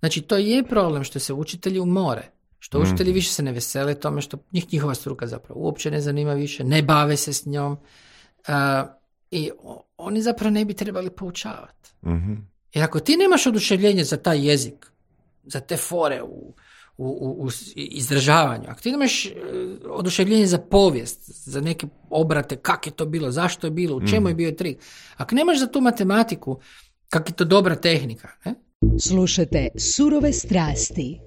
Znači, to je problem što se učitelji umore. Što učitelji više se ne vesele tome što njihova struka zapravo uopće ne zanima više, ne bave se s njom. I oni zapravo ne bi trebali poučavati. Mm-hmm. Jer ako ti nemaš oduševljenje za taj jezik, za te fore u izražavanju, ako ti nemaš oduševljenje za povijest, za neke obrate, kak je to bilo, zašto je bilo, u čemu je bio trik, ako nemaš za tu matematiku, kak je to dobra tehnika. Ne? Slušajte Surove strasti.